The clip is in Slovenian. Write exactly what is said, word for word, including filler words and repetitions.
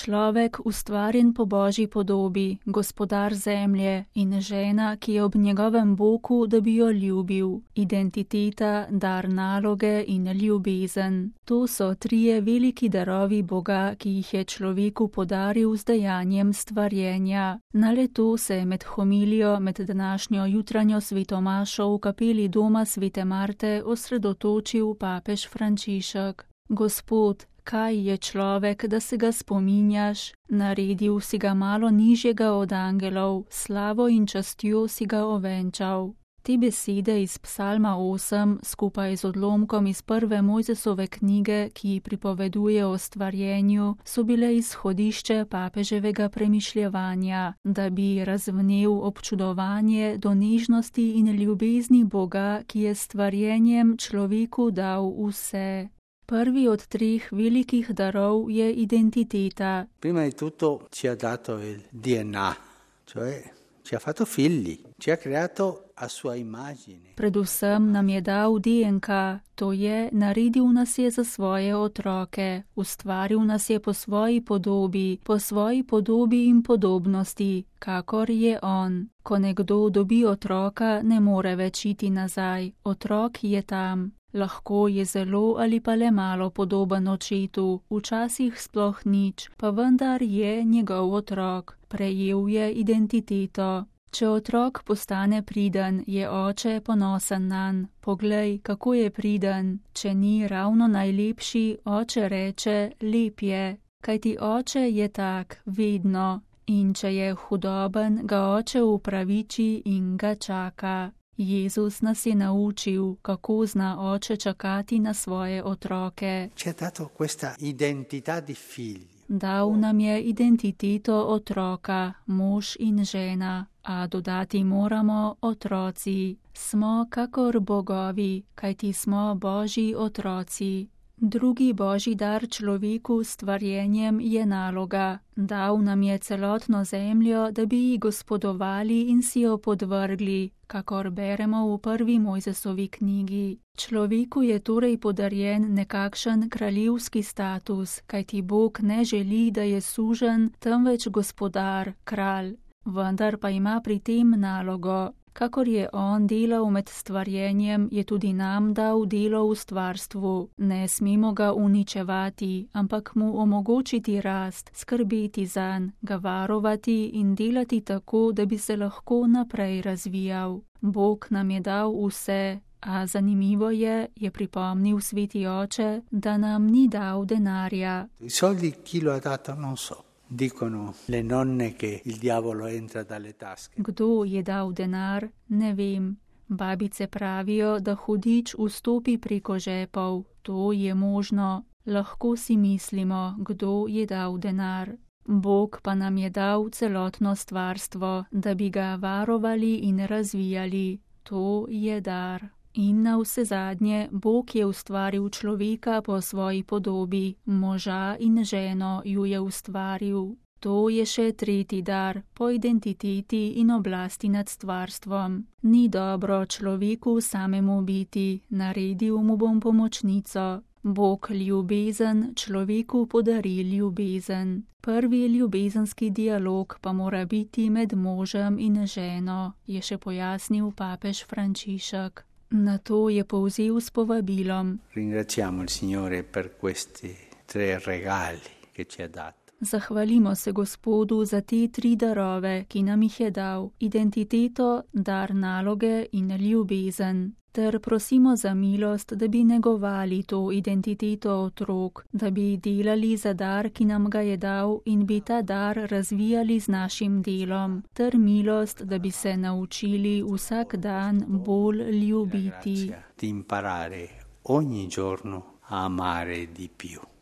človek ustvarjen po Božji podobi, gospodar zemlje in žena, ki je ob njegovem boku, da bi jo ljubil. Identiteta, dar naloge in ljubezen. To so trije veliki darovi Boga, ki jih je človeku podaril z dejanjem stvarjenja. Na le-to se je med homilijo med današnjo jutranjo svetomašo v kapeli doma svete Marte osredotočil papež Frančišek. Gospod, kaj je človek, da se ga spominjaš? Naredil si ga malo nižjega od angelov, slavo in častjo si ga ovenčal. Te besede iz psalma osem skupaj z odlomkom iz prve Mojzesove knjige, ki pripoveduje o stvarjenju, so bile izhodišče papeževega premišljevanja, da bi razvnel občudovanje do nežnosti in ljubezni Boga, ki je stvarjenjem človeku dal vse. Prvi od treh velikih darov je identiteta. Prima di tutto ci ha dato il D N A, cioè ci ha fatto figli, ci ha creato a sua immagine. Predvsem nam je dal D N K, to je, naredil nas je za svoje otroke, ustvaril nas je po svoji podobi, po svoji podobi in podobnosti, kakor je on. Ko nekdo dobi otroka, ne more več iti nazaj, otrok je tam. Lahko je zelo ali pa le malo podoben očetu, včasih sploh nič, pa vendar je njegov otrok, prejel je identiteto. Če otrok postane priden, je oče ponosen nanj. Poglej, kako je priden. Če ni ravno najlepši, oče reče, lep je, kajti oče je tak, vedno. In če je hudoben, ga oče upraviči in ga čaka. Jezus nas je naučil, kako zna oče čakati na svoje otroke. Dal nam je identiteto otroka, mož in žena, a dodati moramo otroci. Smo kakor bogovi, kajti smo Božji otroci. Drugi Božji dar človeku s stvarjenjem je naloga. Dal nam je celotno zemljo, da bi ji gospodovali in si jo podvrgli, kakor beremo v prvi Mojzesovi knjigi. Človeku je torej podarjen nekakšen kraljevski status, kajti Bog ne želi, da je suženj, temveč gospodar, kralj. Vendar pa ima pri tem nalogo. Kakor je on delal med stvarjenjem, je tudi nam dal delo v stvarstvu. Ne smemo ga uničevati, ampak mu omogočiti rast, skrbeti zanj, ga varovati in delati tako, da bi se lahko naprej razvijal. Bog nam je dal vse, a zanimivo je, je pripomnil sveti oče, da nam ni dal denarja. Soldi chi lo ha dato non so. Dicono le nonne che il diavolo entra dalle tasche. Kdo je dal denar, ne vem. Babice pravijo, da hudič vstopi preko žepov. To je možno. Lahko si mislimo, kdo je dal denar. Bog pa nam je dal celotno stvarstvo, da bi ga varovali in razvijali. To je dar. In na vse zadnje, Bog je ustvaril človeka po svoji podobi, moža in ženo ju je ustvaril. To je še tretji dar, po identiteti in oblasti nad stvarstvom. Ni dobro človeku samemu biti, naredil mu bom pomočnico. Bog ljubezen človeku podari ljubezen. Prvi ljubezenski dialog pa mora biti med možem in ženo, je še pojasnil papež Frančišek. Na to je povzel s povabilom. Ringraziamo il Signore per questi tre regali che ci ha dato. Zahvalimo se Gospodu za te tri darove, ki nam jih je dal, identiteto, dar naloge in ljubezen. Ter prosimo za milost, da bi negovali to identiteto otrok, da bi delali za dar, ki nam ga je dal in bi ta dar razvijali z našim delom. Ter milost, da bi se naučili vsak dan bolj ljubiti. Di imparare ogni giorno a amare di più.